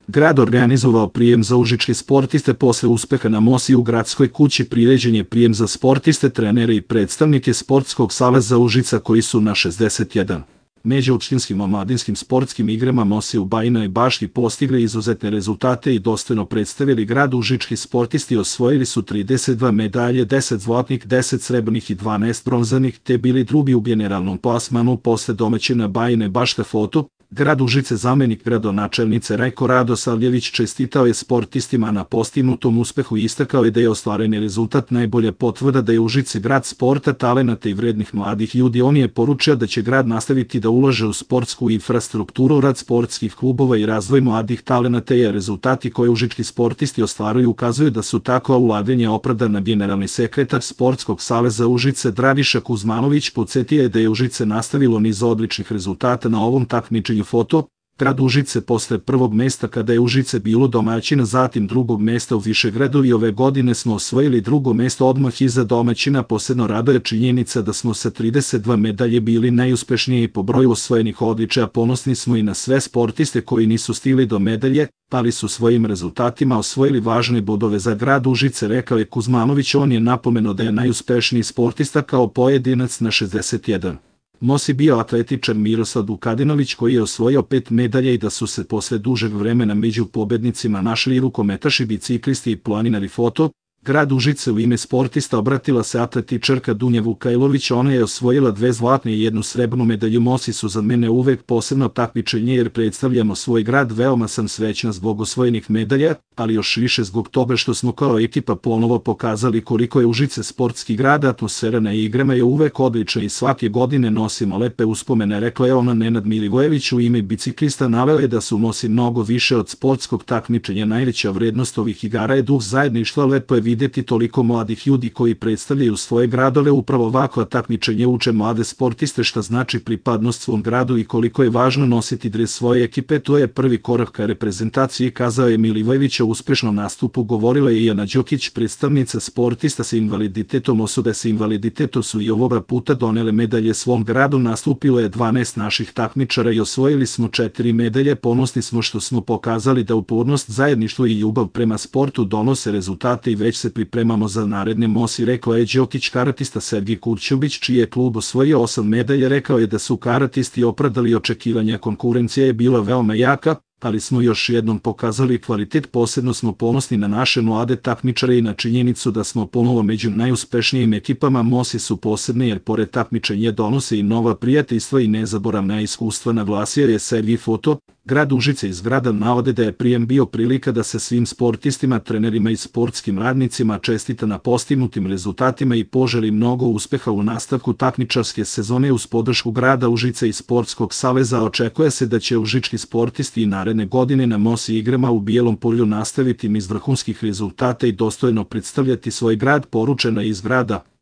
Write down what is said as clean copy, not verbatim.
Grad organizovao prijem za užičke sportiste posle uspeha na Mosi u gradskoj kući. Priređen je prijem za sportiste, trenere i predstavnike Sportskog saveza Užica koji su na 61 međuopštinskim omladinskim sportskim igrama Mosi u Bajinoj Bašti postigli izuzetne rezultate i dostojno predstavili grad. Užički sportisti osvojili su 32 medalje, 10 zlatnih, 10 srebrnih i 12 bronzanih, te bili drugi u generalnom plasmanu posle domaćina Bajine Bašte. Foto grad Užice. Zamenik gradonačelnice Rajko Radosavljević čestitao je sportistima na postignutom uspehu i istakao je da je ostvareni rezultat najbolja potvrda da je Užice grad sporta, talenata i vrednih mladih ljudi. On je poručio da će grad nastaviti da ulaže u sportsku infrastrukturu, rad sportskih klubova i razvoj mladih talenata, jer rezultati koje užički sportisti ostvaruju ukazuju da su takva ulaganja opravdana. Generalni sekretar Sportskog saveza Užice Dragiša Kuzmanović podsjetio je da je Užice nastavilo niz odličnih rezultata na ovom takmičenju. Foto grad Užice posle prvog mesta kada je Užice bilo domaćina, zatim drugog mesta u Višegradu i ove godine smo osvojili drugo mesto odmah iza domaćina. Posebno raduje činjenica da smo sa 32 medalje bili najuspešniji po broju osvojenih odličja. Ponosni smo i na sve sportiste koji nisu stigli do medalje, ali su svojim rezultatima osvojili važne bodove za grad Užice, rekao je Kuzmanović. On je napomenuo da je najuspešniji sportista kao pojedinac na 61 Mosi bio atletičar Miroslav Vukadinović koji je osvojio 5 medalja i da su se posle dužeg vremena među pobednicima našli i rukometaši, biciklisti i planinari. Foto grad Užice. U ime sportista obratila se atletičarka Dunja Vukajlović. Ona je osvojila 2 zlatne i 1 srebrnu medalju. Mosi su za mene uvek posebno takmičenje jer predstavljamo svoj grad. Veoma sam srećna zbog osvojenih medalja, ali još više zbog toga što smo kao ekipa ponovo pokazali koliko je Užice sportski grad. Atmosfera na igrama je uvek odlična i svake godine nosimo lepe uspomene, rekla je ona. Nenad Milivojević u ime biciklista naveo je da su Mosi mnogo više od sportskog takmičenja. Najveća vrednost ovih igara je duh zajedništva. Lepo je videti toliko mladih ljudi koji predstavljaju svoje gradove. Upravo ovakva takmičenja uče mlade sportiste šta znači pripadnost svom gradu i koliko je važno nositi dres svoje ekipe. To je prvi korak ka reprezentaciji, kazao je Milivojević. O uspešnom nastupu govorila je i Ana Đokić, predstavnica sportista sa invaliditetom. Osobe sa invaliditetom su i ovoga puta donele medalje svom gradu. Nastupilo je 12 naših takmičara i osvojili smo 4 medalje. Ponosni smo što smo pokazali da upornost, zajedništvo i ljubav prema sportu donose rezultate i već se pripremamo za naredne Mosi, rekao je Đokić. Karatista Sergij Kurćubić, čiji je klub osvojio 8 medalja, rekao je da su karatisti opravdali očekivanja. Konkurencija je bila veoma jaka, ali smo još jednom pokazali kvalitet. Posebno smo ponosni na naše mlade takmičare i na činjenicu da smo ponovo među najuspešnijim ekipama. Mosi su posebne jer pored takmičenja donose i nova prijateljstva i nezaboravna iskustva, naglasio je Sergij. Foto grad Užice. Iz grada navode da je prijem bio prilika da se svim sportistima, trenerima i sportskim radnicima čestita na postignutim rezultatima i poželi mnogo uspeha u nastavku takmičarske sezone. Uz podršku grada Užice i Sportskog saveza očekuje se da će užički sportisti i naredne godine na Mosi igrama u Bijelom Polju nastaviti niz vrhunskih rezultata i dostojno predstavljati svoj grad, poručeno iz grada.